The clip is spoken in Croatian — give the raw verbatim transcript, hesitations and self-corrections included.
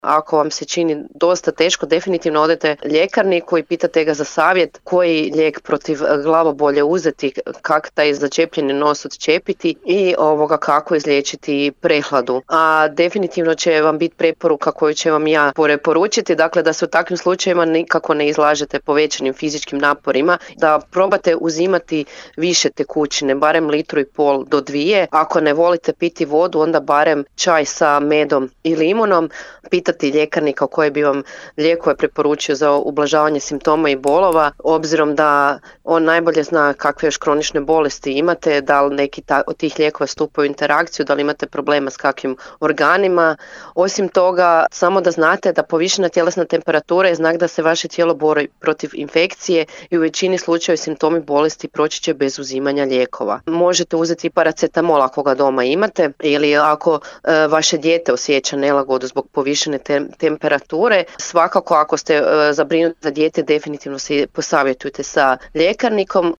Ako vam se čini dosta teško, definitivno odete ljekarniku i pitate ga za savjet koji lijek protiv glavobolje uzeti, kako taj začepljeni nos odčepiti i ovoga kako izliječiti prehladu. A definitivno će vam biti preporuka koju će vam ja preporučiti, dakle da se u takvim slučajevima nikako ne izlažete povećanim fizičkim naporima, da probate uzimati više tekućine, barem litru i pol do dvije. Ako ne volite piti vodu, onda barem čaj sa medom i limunom. Pitati ljekarnika koji bi vam lijekove preporučio za ublažavanje simptoma i bolova, obzirom da on najbolje zna kakve još kronične bolesti imate, da li neki ta, od tih lijekova stupaju u interakciju, da li imate problema s kakvim organima. Osim toga, samo da znate da povišena tjelesna temperatura je znak da se vaše tijelo bori protiv infekcije i u većini slučajeva simptomi bolesti proći će bez uzimanja lijekova. Možete uzeti paracetamol ako ga doma imate, ili ako e, vaše dijete osjeća nelagodu zbog povišene te, temperature. Svakako ako ste e, zabrinuti za dijete, definitivno se posavjetujte sa ljekarnikom.